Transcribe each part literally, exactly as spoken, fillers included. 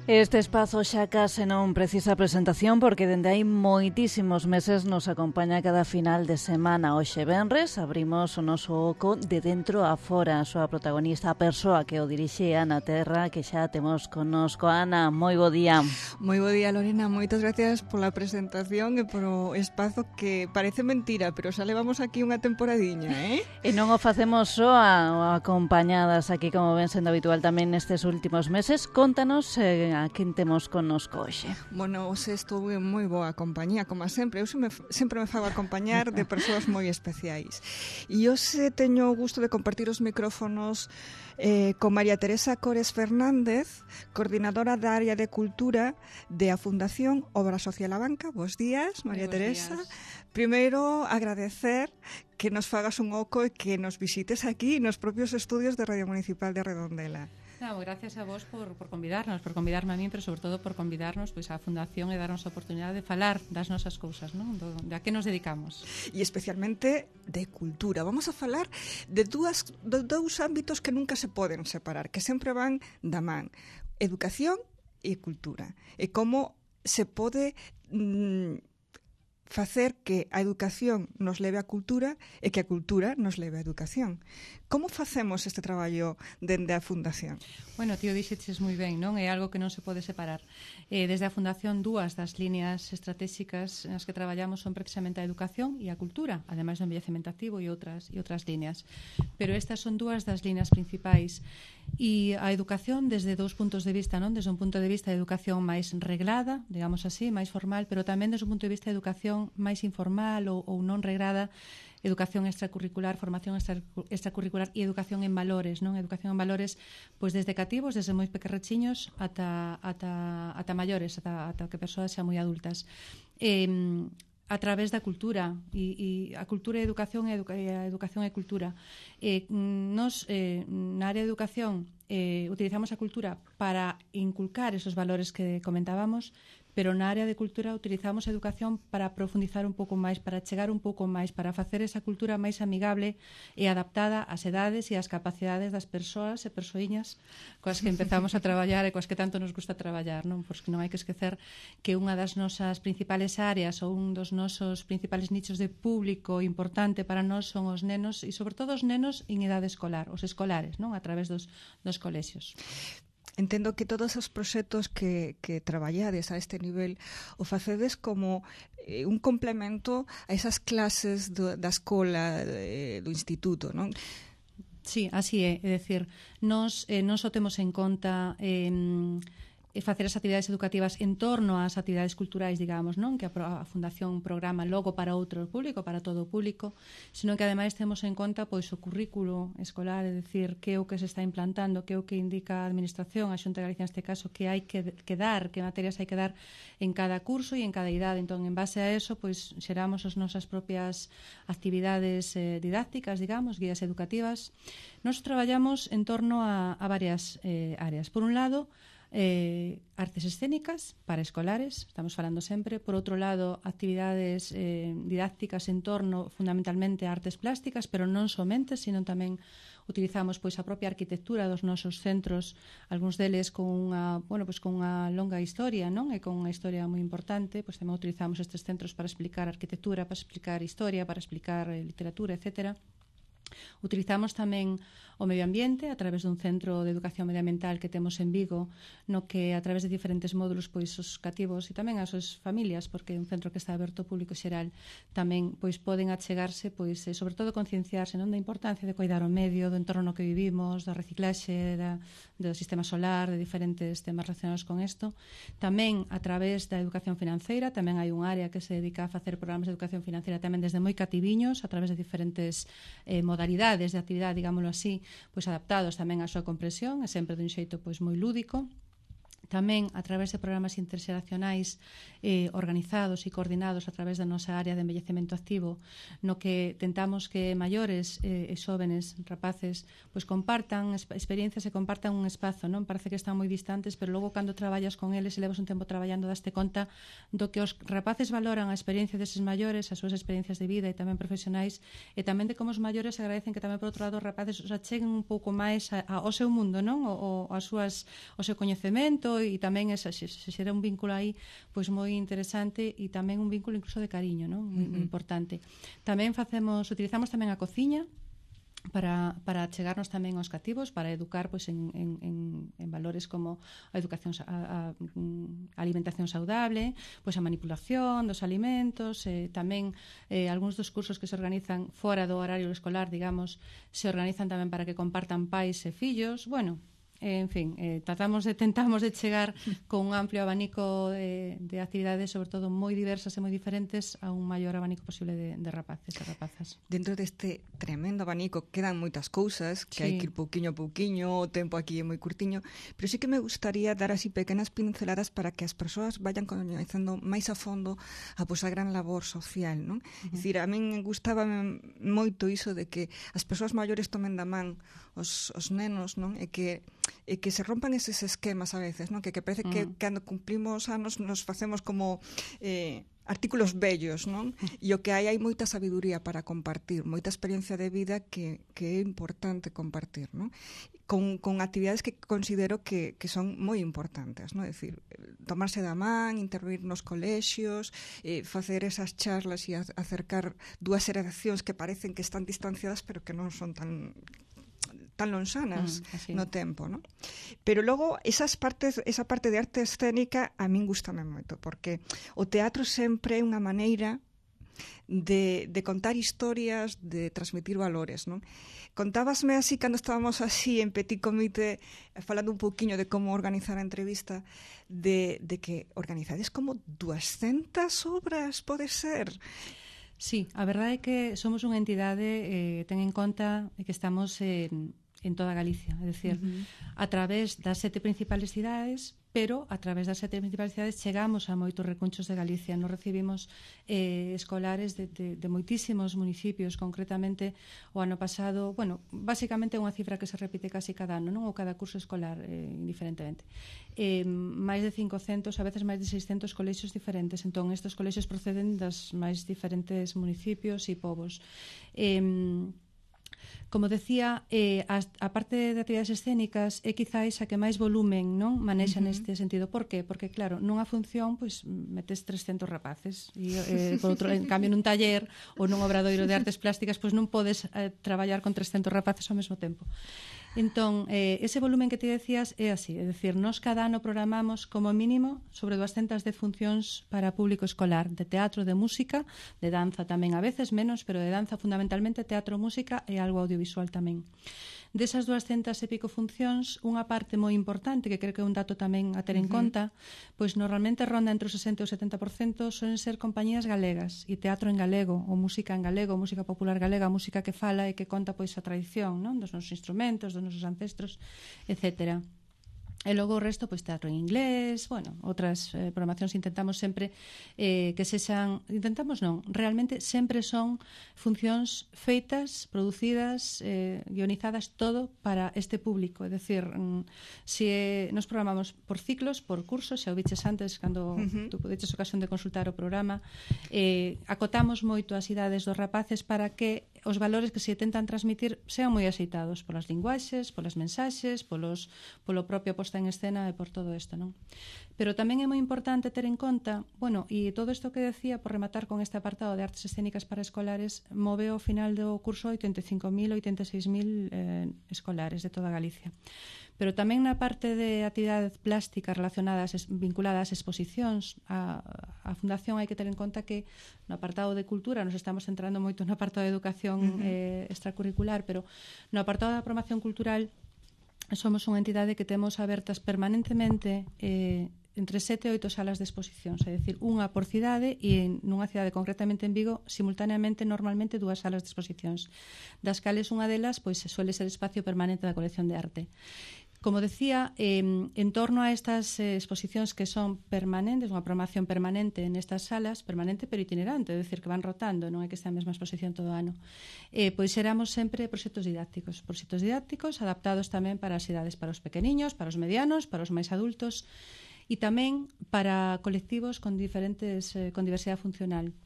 Este espazo xa case non precisa presentación porque dende hai moitísimos meses nos acompaña cada final de semana. Hoxe venres abrimos o noso oco de dentro a fora. A súa protagonista, a persoa que o dirixe, Ana Terra, que xa temos connosco. Ana, moi bo día. Moi bo día, Lorena. Moitas gracias pola presentación e polo espazo que parece mentira, pero xa levamos aquí unha temporadiña, eh? E non o facemos só a, acompañadas aquí, como ven sendo habitual tamén nestes últimos meses. Contanos eh, a quen temos connosco hoxe. Bueno, hoxe estou en moi boa compañía, como sempre. Eu sempre, sempre me fago acompañar de persoas moi especiais. E hoxe teño o gusto de compartir os micrófonos eh, con María Teresa Cores Fernández, coordinadora da área de cultura de a Fundación Obra Social A Banca. Bos días, María Teresa. Días. Primeiro, agradecer que nos fagas un oco e que nos visites aquí nos propios estudios de Radio Municipal de Redondela. No, gracias a vos por, por convidarnos, por convidarme a mí, pero sobre todo por convidarnos pois, á Fundación e darnos a oportunidade de falar das nosas cousas, non? Do, de a que nos dedicamos. E especialmente de cultura. Vamos a falar de, dúas, de dous ámbitos que nunca se poden separar, que sempre van da man. Educación e cultura. E como se pode mm, facer que a educación nos leve á cultura e que a cultura nos leve á educación. Como facemos este traballo dende a Fundación? Bueno, tío, dixeches moi ben, non? É algo que non se pode separar. Eh, desde a Fundación, dúas das líneas estratégicas nas que traballamos son precisamente a educación e a cultura, ademais do envellecemento activo e outras e outras líneas. Pero estas son dúas das líneas principais. E a educación desde dous puntos de vista, non? Desde un punto de vista de educación máis reglada, digamos así, máis formal, pero tamén desde un punto de vista de educación máis informal ou, ou non regrada, educación extracurricular, formación extra, extracurricular e educación en valores, non? Educación en valores, pois desde cativos, desde moi pequerrechiños ata ata ata maiores, ata ata que persoas xa moi adultas. Eh, a través da cultura e, e a cultura e a educación e educa, a educación e cultura. Eh, nos eh, na área de educación eh, utilizamos a cultura para inculcar esos valores que comentábamos, pero na área de cultura utilizamos a educación para profundizar un pouco máis, para chegar un pouco máis, para facer esa cultura máis amigable e adaptada ás edades e ás capacidades das persoas e persoiñas coas que empezamos a traballar e coas que tanto nos gusta traballar, non? Porque non hai que esquecer que unha das nosas principales áreas ou un dos nosos principales nichos de público importante para nós son os nenos e sobre todo os nenos en idade escolar, os escolares, non? A través dos, dos colexios. Entendo que todos os proxectos que, que traballades a este nivel o facedes como eh, un complemento a esas clases do, da escola, eh, do instituto, non? Sí, así é, é dicir, nos, eh, non só temos en conta eh, e facer as actividades educativas en torno ás actividades culturais, digamos, non? Que a Fundación programa logo para outro público, para todo o público, senón que ademais temos en conta pois o currículo escolar, é dicir, que é o que se está implantando, que é o que indica a Administración, a Xunta de Galicia neste caso, que hai que, que dar, que materias hai que dar en cada curso e en cada idade. Entón, en base a eso, pois xeramos as nosas propias actividades eh, didácticas, digamos, guías educativas. Nos traballamos en torno a, a varias eh, áreas. Por un lado, Eh, artes escénicas para escolares, estamos falando sempre. Por outro lado, actividades eh, didácticas en torno fundamentalmente a artes plásticas, pero non somente, sino tamén utilizamos pois a propia arquitectura dos nosos centros, algúns deles con unha, bueno, pois con unha longa historia, non? E con unha historia moi importante, pois tamén utilizamos estes centros para explicar arquitectura, para explicar historia, para explicar eh, literatura, etcétera. Utilizamos tamén o medio ambiente a través dun centro de educación medioambiental que temos en Vigo, no que a través de diferentes módulos pois os cativos e tamén as súas familias, porque é un centro que está aberto ao público xeral, tamén pois poden achegarse, pois eh, sobre todo concienciarse, non, da importancia de cuidar o medio, do entorno no que vivimos, da reciclaxe, da, do sistema solar, de diferentes temas relacionados con isto. Tamén a través da educación financeira, tamén hai un área que se dedica a facer programas de educación financeira tamén desde moi cativiños, a través de diferentes eh, modalidades de actividade, digámoslo así, pois adaptados tamén á súa comprensión e sempre dun xeito pois moi lúdico. Tamén a través de programas interxeracionais eh, organizados e coordinados a través da nosa área de envellecemento activo, no que tentamos que maiores eh, e xóvenes, rapaces, pois compartan experiencias e compartan un espazo, non? Parece que están moi distantes, pero logo cando traballas con eles e levas un tempo traballando daste conta do que os rapaces valoran a experiencia deses maiores, as súas experiencias de vida e tamén profesionais, e tamén de como os maiores agradecen que tamén por outro lado os rapaces os acheguen un pouco máis a, a, ao seu mundo, non? O, o, as súas, o seu coñecemento, isto e tamén esa, se, se xera un vínculo aí pois moi interesante e tamén un vínculo incluso de cariño, non? Moi, moi importante. Tamén facemos, utilizamos tamén a cociña para, para chegarnos tamén aos cativos, para educar pois, en, en, en, en valores como a educación, a, a, a alimentación saudable, pois a manipulación dos alimentos, eh, tamén eh, algúns dos cursos que se organizan fora do horario escolar, digamos, se organizan tamén para que compartan pais e fillos, bueno, en fin, eh, tratamos de, tentamos de chegar con un amplio abanico de, de actividades, sobre todo moi diversas e moi diferentes, a un maior abanico posible de, de rapaces e rapazas. Dentro deste tremendo abanico quedan moitas cousas que sí. hai que ir pouquiño a pouquiño, o tempo aquí é moi curtiño, pero sí que me gustaría dar así pequenas pinceladas para que as persoas vayan coñecendo máis a fondo a, pois, a gran labor social, non? Uh-huh. É dicir, a min gustaba moito iso de que as persoas maiores tomen da man os, os nenos, non? E que e que se rompan eses esquemas a veces, non? Que, que parece uh-huh. que cando cumplimos anos nos facemos como eh, artículos bellos, non? E o que hai, hai moita sabiduría para compartir, moita experiencia de vida que, que é importante compartir, non? Con, con actividades que considero que, que son moi importantes, non? É dicir, tomarse da man, intervir nos colexios, eh, facer esas charlas e acercar dúas xeracións que parecen que están distanciadas pero que non son tan tan lonxanas mm, no tempo, ¿no? Pero logo esas partes, esa parte de arte escénica a min gustame moito, porque o teatro sempre é unha maneira de, de contar historias, de transmitir valores, non? Contábasme así cando estábamos así en petit comité falando un pouquiño de como organizar a entrevista, de, de que organizades como duascentas obras, pode ser? Sí, a verdade é que somos unha entidade, eh, ten en conta que estamos en, en toda Galicia, é dicir, uh-huh. a través das sete principales cidades, pero a través das sete principales cidades chegamos a moitos recunchos de Galicia. Nos recibimos eh, escolares de, de, de moitísimos municipios, concretamente o ano pasado, bueno, basicamente é unha cifra que se repite casi cada ano, non? Ou cada curso escolar, eh, indiferentemente. Eh, máis de cincocentos, a veces máis de seiscentos colexios diferentes. Entón, estes colexios proceden das máis diferentes municipios e povos. Eh, Como decía, eh, a, a parte de actividades escénicas é quizáis a que máis volumen, non, manexa uh-huh. neste sentido. Por qué? Porque claro, nunha función pois metes trescentos rapaces e eh, por outro, en cambio nun taller ou nun obradoiro de artes plásticas pois non podes eh, traballar con trescentos rapaces ao mesmo tempo. Entón, eh, ese volumen que te decías é así, é dicir, nós cada ano programamos como mínimo sobre duascentas dez funcións para público escolar, de teatro, de música, de danza tamén a veces, menos, pero de danza fundamentalmente, teatro, música e algo audiovisual tamén. Desas duascentas e pico funcións, unha parte moi importante, que creo que é un dato tamén a ter en uh-huh. conta, pois normalmente ronda entre o sesenta e o setenta por cento solen ser compañías galegas, e teatro en galego, ou música en galego, música popular galega, música que fala e que conta pois a tradición, non? Dos nosos instrumentos, dos nosos ancestros, etcétera. E logo o resto, pois teatro en inglés, bueno, outras eh, programacións intentamos sempre eh, que sexan, intentamos non, realmente sempre son funcións feitas, producidas, eh, guionizadas, todo para este público, é dicir, mm, se eh, nos programamos por ciclos, por cursos, xa o biches antes, cando uh-huh. tú podeches ocasión de consultar o programa, eh, acotamos moito as idades dos rapaces para que os valores que se tentan transmitir sean moi aceitados polas linguaxes, polas mensaxes, polos, polo propio posta en escena e por todo isto, non? Pero tamén é moi importante ter en conta, bueno, e todo isto que decía, por rematar con este apartado de artes escénicas para escolares, move ao final do curso oitenta e cinco mil, oitenta e seis mil eh, escolares de toda Galicia. Pero tamén na parte de actividades plásticas relacionadas, vinculadas ás exposicións, a, a Fundación hai que ter en conta que no apartado de cultura nos estamos centrando moito no apartado de educación uh-huh. eh, extracurricular, pero no apartado da promoción cultural somos unha entidade que temos abertas permanentemente eh, entre sete e oito salas de exposicións, é dicir, unha por cidade e nunha cidade concretamente en Vigo, simultaneamente normalmente dúas salas de exposicións, das cales unha delas pois suele ser espacio permanente da colección de arte. Como decía, eh, en torno a estas eh, exposicións que son permanentes, unha programación permanente nestas salas, permanente pero itinerante, é dicir, que van rotando, non é que estea a mesma exposición todo o ano, eh, pois éramos sempre proxectos didácticos, proxectos didácticos adaptados tamén para as idades, para os pequeniños, para os medianos, para os máis adultos, e tamén para colectivos con diferentes, eh, con diversidade funcional.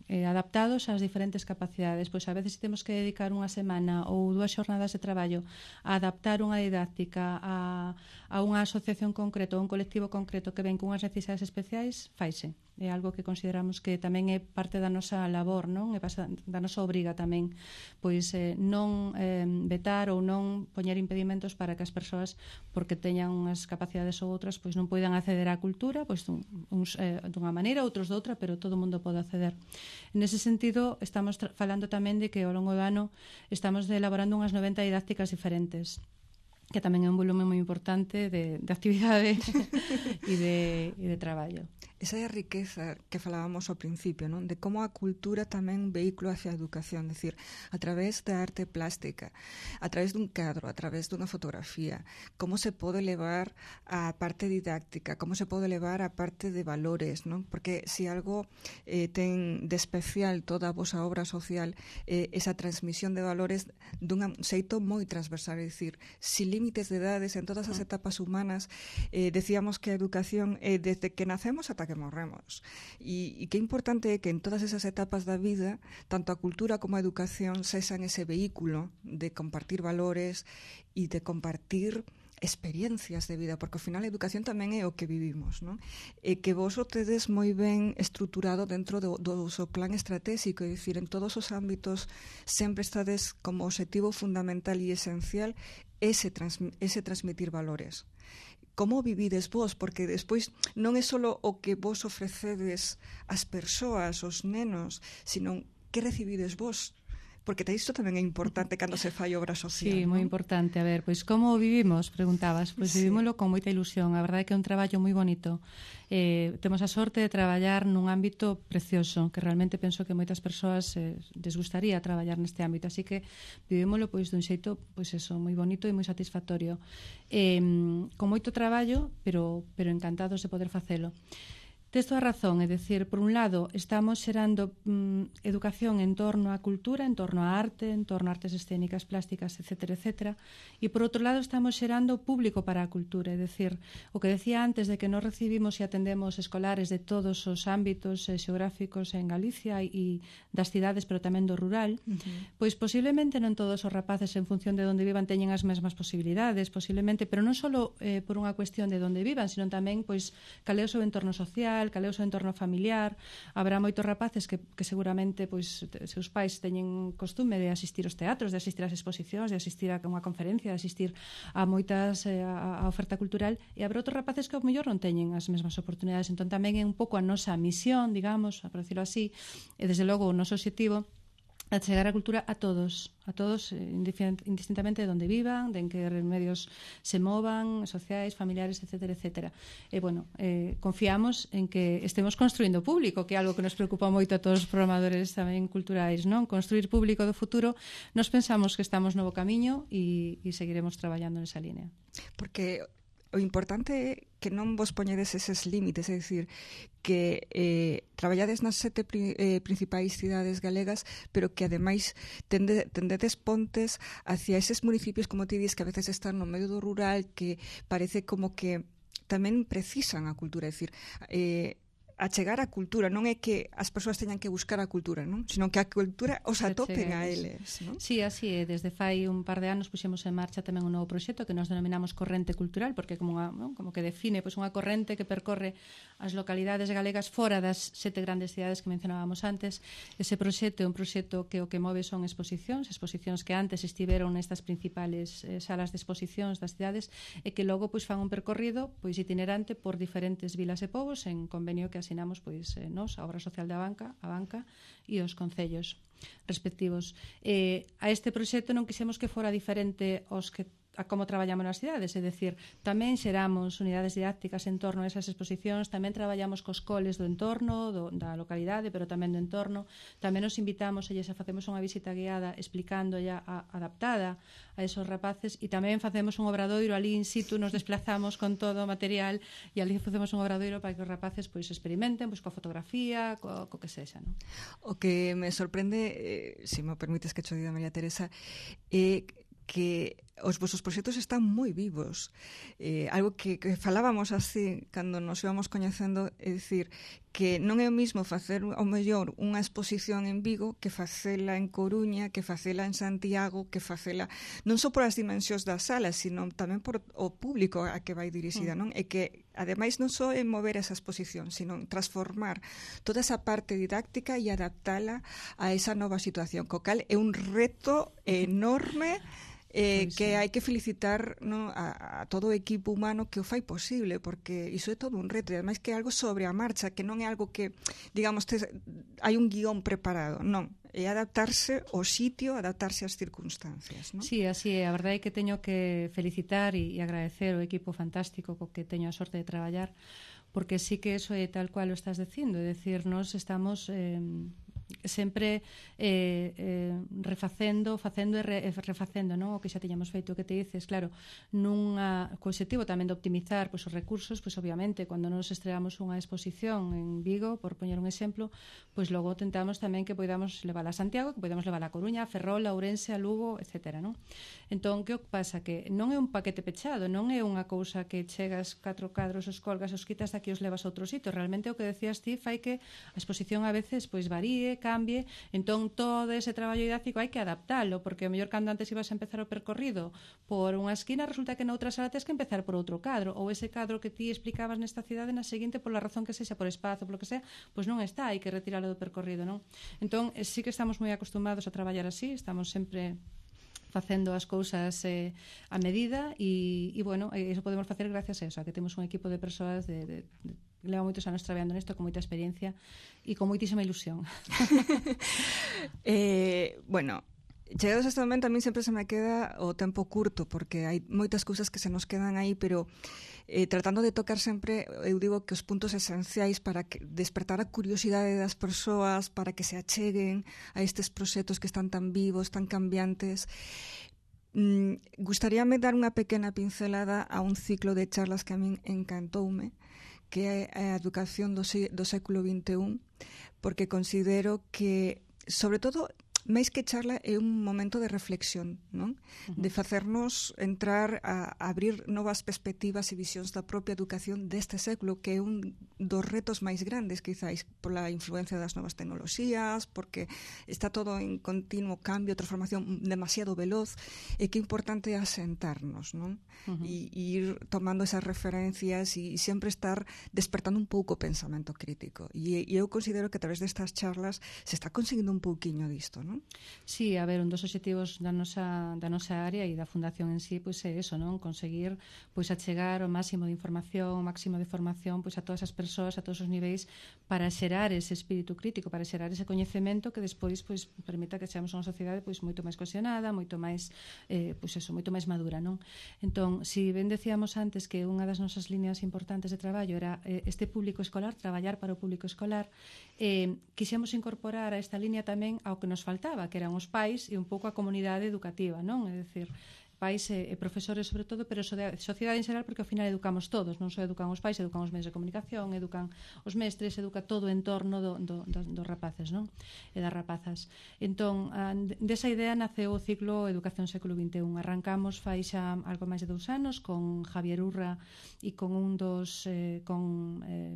eh, adaptados ás diferentes capacidades. Pois a veces temos que dedicar unha semana ou dúas xornadas de traballo a adaptar unha didáctica a, a unha asociación concreta ou un colectivo concreto que ven cunhas necesidades especiais, faise. É algo que consideramos que tamén é parte da nosa labor, non? É da nosa obriga tamén, pois eh, non eh, vetar ou non poñer impedimentos para que as persoas, porque teñan unhas capacidades ou outras, pois non poidan acceder á cultura, pois uns eh, dunha maneira, outros doutra, pero todo o mundo pode acceder. Nese sentido, estamos falando tamén de que ao longo do ano estamos elaborando unhas noventa didácticas diferentes, que tamén é un volumen moi importante de, de actividade e de, e de traballo. Esa é a riqueza que falábamos ao principio, non? De como a cultura tamén un vehículo hacia a educación, decir, a través da arte plástica, a través dun cadro, a través dunha fotografía, como se pode levar a parte didáctica, como se pode levar a parte de valores, non? Porque se algo eh, ten de especial toda a vosa obra social, eh, esa transmisión de valores dun xeito moi transversal, é dicir, sin límites de edades en todas as etapas humanas. Eh, decíamos que a educación é eh, desde que nacemos ata que morremos. E, e que importante é que en todas esas etapas da vida, tanto a cultura como a educación sexan ese vehículo de compartir valores e de compartir experiencias de vida, porque ao final a educación tamén é o que vivimos, non? E que vos o tedes moi ben estruturado dentro do, do seu plan estratégico, é dicir, en todos os ámbitos sempre estades como objetivo fundamental e esencial ese, trans, ese transmitir valores. Como vivides vos? Porque despois non é só o que vos ofrecedes ás persoas, aos nenos, sino que recibides vos. Porque isto tamén é importante cando se fai obra social. Sí, moi importante. A ver, pois como vivimos, preguntabas. Pois sí. Vivímoslo con moita ilusión. A verdade é que é un traballo moi bonito. Eh, temos a sorte de traballar nun ámbito precioso, que realmente penso que moitas persoas eh, les gustaría traballar neste ámbito. Así que vivímoslo pois dun xeito, pois eso, moi bonito e moi satisfactorio. Eh, con moito traballo, pero, pero encantados de poder facelo. Tes toda a razón, é dicir, por un lado, estamos xerando mm, educación en torno á cultura, en torno á arte, en torno a artes escénicas, plásticas, etcétera, etcétera, e por outro lado estamos xerando público para a cultura, é dicir, o que decía antes de que nos recibimos e atendemos escolares de todos os ámbitos eh, xeográficos en Galicia e das cidades, pero tamén do rural, uh-huh. Pois posiblemente non todos os rapaces en función de onde vivan teñen as mesmas posibilidades, posiblemente, pero non só eh, por unha cuestión de onde vivan, sino tamén, pois, cal é o seu entorno social, cal é o seu entorno familiar. Habrá moitos rapaces que, que seguramente pois, seus pais teñen costume de asistir aos teatros, de asistir ás exposicións, de asistir a unha conferencia, de asistir a moitas eh, a, a oferta cultural, e habrá outros rapaces que ao mellor non teñen as mesmas oportunidades. Entón tamén é un pouco a nosa misión, digamos, por decirlo así, e desde logo o noso objetivo a chegar a cultura a todos, a todos indistintamente de onde vivan, de en que medios se movan, sociais, familiares, etcétera, etcétera. E, bueno, eh, confiamos en que estemos construindo público, que é algo que nos preocupa moito a todos os programadores tamén culturais, non? Construir público do futuro, nos pensamos que estamos no bo camiño e, e seguiremos traballando nesa línea. Porque o importante é que non vos poñedes eses límites, é dicir, que eh, traballades nas sete pri, eh, principais cidades galegas, pero que ademais tende, tendedes pontes hacia eses municipios, como ti dis, que a veces están no medio do rural, que parece como que tamén precisan a cultura, é dicir, eh, a chegar á cultura, non é que as persoas teñan que buscar a cultura, non? Sino que a cultura os atopen a eles, non? Sí, así é. Desde fai un par de anos puxemos en marcha tamén un novo proxecto que nos denominamos Corrente Cultural, porque como, unha, non? como que define pois, unha corrente que percorre as localidades galegas fora das sete grandes cidades que mencionábamos antes. Ese proxecto é un proxecto que o que move son exposicións, exposicións que antes estiveron nestas principales eh, salas de exposicións das cidades e que logo pois, fan un percorrido pois, itinerante por diferentes vilas e povos en convenio que asinamos pois, eh, nos, a obra social da banca, a banca e os concellos respectivos. Eh, a este proxecto non quixemos que fora diferente aos que a como traballamos nas cidades, é dicir, tamén xeramos unidades didácticas en torno a esas exposicións, tamén traballamos cos coles do entorno, do, da localidade, pero tamén do entorno, tamén nos invitamos e xa facemos unha visita guiada explicando ya a, adaptada a esos rapaces e tamén facemos un obradoiro ali in situ, nos desplazamos con todo o material e ali facemos un obradoiro para que os rapaces pois experimenten pois coa fotografía, co, co que sexa, non? O que me sorprende, eh, se me permites que cho diga María Teresa, é eh, que os vosos proxectos están moi vivos. Eh, algo que, que falábamos así cando nos íbamos coñecendo, é dicir, que non é o mismo facer ao mellor unha exposición en Vigo que facela en Coruña, que facela en Santiago, que facela non só por as dimensións das salas, sino tamén por o público a que vai dirixida, non? E que ademais non só é mover esa exposición, sino transformar toda esa parte didáctica e adaptala a esa nova situación, co cal é un reto enorme. Eh, Pois, que sí. hai que felicitar, no, a, a todo o equipo humano que o fai posible, porque iso é todo un reto, e ademais que é algo sobre a marcha, que non é algo que, digamos, te, hai un guión preparado, non, é adaptarse ao sitio, adaptarse ás circunstancias, non? Sí, así é, a verdade é que teño que felicitar e, e agradecer o equipo fantástico co que teño a sorte de traballar, porque sí que eso é tal cual o estás dicindo, é dicir, nós estamos... Eh, sempre eh, eh, refacendo, facendo e re, refacendo, non? O que xa tiñamos feito, o que te dices, claro, nunha co obxectivo tamén de optimizar pois, os recursos, pois obviamente, cando nos estreamos unha exposición en Vigo, por poñer un exemplo, pois logo tentamos tamén que podamos levar a Santiago, que podamos levar a Coruña, a Ferrol, a Ourense, a Lugo, etcétera, non? Entón, que o que pasa? Que non é un paquete pechado, non é unha cousa que chegas catro cadros, os colgas, os quitas, aquí os levas a outro sitio. Realmente o que decías ti fai que a exposición a veces pois varíe, cambie, entón todo ese traballo didáctico hai que adaptalo, porque o mellor cando antes ibas a empezar o percorrido por unha esquina, resulta que noutra sala tens que empezar por outro cadro, ou ese cadro que ti explicabas nesta cidade na seguinte, pola razón que sexa, por espazo, polo que sea, pois non está, hai que retiralo do percorrido, non? Entón, sí que estamos moi acostumados a traballar así, estamos sempre facendo as cousas eh, a medida e, e bueno, iso podemos facer gracias a eso, a que temos un equipo de persoas de, de, de leva moitos anos traballando nisto con moita experiencia e con moitísima ilusión. eh, bueno, chegados a este momento a mí sempre se me queda o tempo curto porque hai moitas cousas que se nos quedan aí, pero eh, tratando de tocar sempre, eu digo que os puntos esenciais para que despertar a curiosidade das persoas, para que se acheguen a estes proxectos que están tan vivos, tan cambiantes. Mm, gustaríame dar unha pequena pincelada a un ciclo de charlas que a min encantoume, que é a educación do, do século vinte e un, porque considero que, sobre todo, máis que charla, é un momento de reflexión, non? Uh-huh. De facernos entrar a, a abrir novas perspectivas e visións da propia educación deste século, que é un dos retos máis grandes, quizáis, pola influencia das novas tecnoloxías, porque está todo en continuo cambio, transformación demasiado veloz, e que é importante asentarnos, non? Uh-huh. E, e ir tomando esas referencias e, e sempre estar despertando un pouco o pensamento crítico. E, e eu considero que a través destas charlas se está conseguindo un pouquiño disto, non? Sí, a ver, un dos obxectivos da nosa, da nosa área e da Fundación en sí, pois é eso, non? Conseguir pois achegar o máximo de información, o máximo de formación pois a todas as persoas, a todos os niveis, para xerar ese espírito crítico, para xerar ese coñecemento que despois pois permita que seamos unha sociedade pois moito máis cohesionada, moito máis eh, pois eso, moito máis madura, non? Entón, si ben decíamos antes que unha das nosas líneas importantes de traballo era eh, este público escolar, traballar para o público escolar, eh, quixemos incorporar a esta línea tamén ao que nos faltaba, que eran os pais e un pouco a comunidade educativa, non? É dicir, pais e, e profesores sobre todo, pero so de, sociedade en xeral, porque ao final educamos todos, non só educan os pais, educan os medios de comunicación, educan os mestres, educa todo o entorno do, do, do, dos rapaces, non? E das rapazas. Entón, a, desa idea naceu o ciclo Educación século vinte e un. Arrancamos fai xa algo máis de dous anos con Javier Urra e con un dos eh, con eh,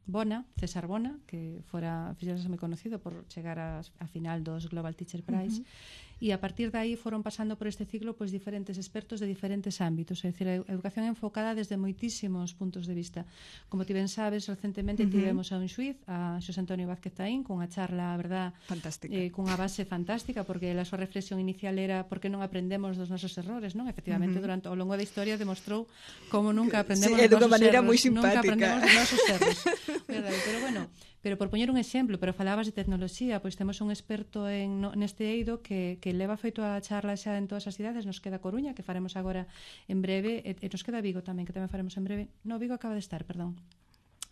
Bona, César Bona, que fora fixerase moi conocido por chegar a, a final dos Global Teacher Prize. Uh-huh. E a partir de aí foron pasando por este ciclo pois diferentes expertos de diferentes ámbitos, é dicir, a educación enfocada desde moitísimos puntos de vista. Como ti ben sabes, recentemente uh-huh. tivemos a un xuiz, a Xosé Antonio Vázquez Taín, cunha charla, a verdad, fantástica. Eh, cunha base fantástica, porque a súa reflexión inicial era por que non aprendemos dos nosos errores, non? Efectivamente, uh-huh. durante ao longo da historia demostrou como nunca aprendemos sí, dos nosos maneira erros. Moi simpática. Nunca aprendemos dos nosos erros. Verdade, pero bueno, pero por poñer un exemplo, pero falabas de tecnoloxía, pois temos un experto en, no, neste eido que, que leva feito a charla xa en todas as cidades, nos queda Coruña, que faremos agora en breve, e, e nos queda Vigo tamén, que tamén faremos en breve. No, Vigo acaba de estar, perdón.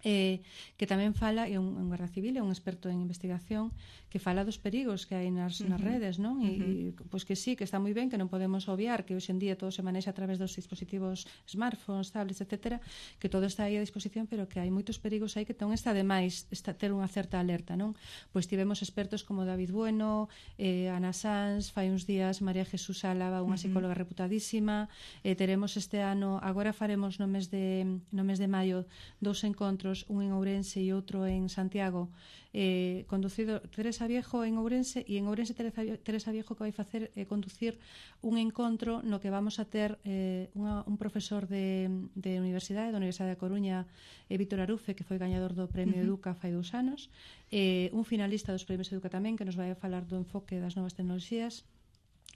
eh, que tamén fala, é un, un guarda civil, é un experto en investigación, que fala dos perigos que hai nas, nas Uh-huh. redes, non? E, Uh-huh. e pois que sí, que está moi ben, que non podemos obviar que hoxe en día todo se manexa a través dos dispositivos smartphones, tablets, etcétera, que todo está aí a disposición, pero que hai moitos perigos aí que non está de máis está, ter unha certa alerta, non? Pois tivemos expertos como David Bueno, eh, Ana Sanz, fai uns días María Jesús Álava, unha psicóloga uh-huh. reputadísima, eh, teremos este ano, agora faremos no mes de no mes de maio dous encontros, un en Ourense e outro en Santiago, eh, conducido Teresa Viejo en Ourense, e en Ourense Teresa, Teresa Viejo que vai facer é eh, conducir un encontro no que vamos a ter eh, unha, un profesor de, de universidade, da Universidade da Coruña, eh, Víctor Arufe, que foi gañador do Premio uh-huh. Educa fai dous anos, eh, un finalista dos Premios Educa tamén, que nos vai a falar do enfoque das novas tecnoloxías.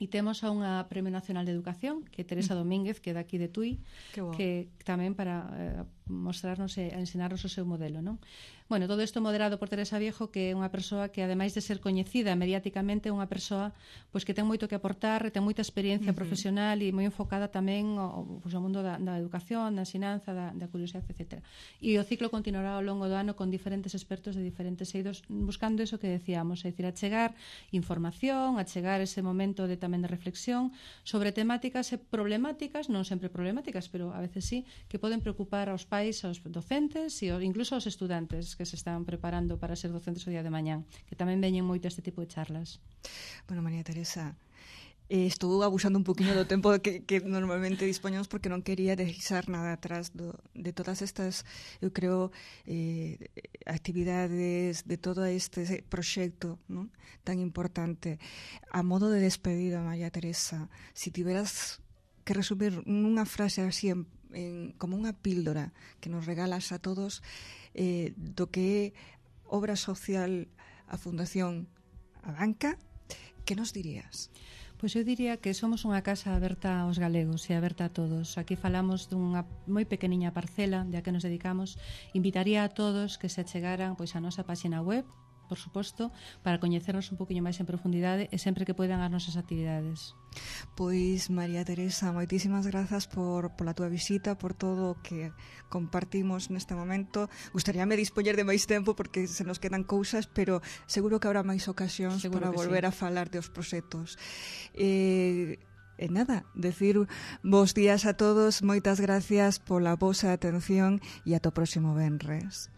E temos a unha Premio Nacional de Educación, que é Teresa Domínguez, que é daqui de Tui, que tamén para eh, mostrarnos e ensinarnos o seu modelo, non? Bueno, todo isto moderado por Teresa Viejo, que é unha persoa que, ademais de ser coñecida mediáticamente, é unha persoa pois, que ten moito que aportar, ten moita experiencia uh-huh. profesional e moi enfocada tamén ao, pois, ao mundo da, da educación, da ensinanza, da, da curiosidade, etcétera. E o ciclo continuará ao longo do ano con diferentes expertos de diferentes eidos, buscando eso que decíamos, é dicir, achegar información, achegar ese momento de tamén de reflexión sobre temáticas e problemáticas, non sempre problemáticas, pero a veces sí, que poden preocupar aos pais, aos docentes e incluso aos estudantes que se están preparando para ser docentes o día de mañán, que tamén veñen moito este tipo de charlas. Bueno, María Teresa, eh, estou abusando un poquinho do tempo que, que normalmente dispoñamos porque non quería deixar nada atrás do, de todas estas, eu creo, eh, actividades, de todo este proxecto, ¿no?, tan importante. A modo de despedida, María Teresa, si tiveras que resumir nunha frase así en, en, como unha píldora que nos regalas a todos eh, do que é obra social a Fundación A Banca, que nos dirías? Pois eu diría que somos unha casa aberta aos galegos e aberta a todos. Aquí falamos dunha moi pequeniña parcela de a que nos dedicamos. Invitaría a todos que se achegaran pois a nosa página web, por suposto, para coñecernos un poquinho máis en profundidade e sempre que poidan as nosas actividades. Pois, María Teresa, moitísimas grazas por pola túa visita, por todo o que compartimos neste momento. Gustaríame dispoñer de máis tempo porque se nos quedan cousas, pero seguro que habrá máis ocasións seguro para volver sí. a falar de os proxectos. Eh, e nada, decir bos días a todos, moitas gracias pola vosa atención e ata o próximo venres.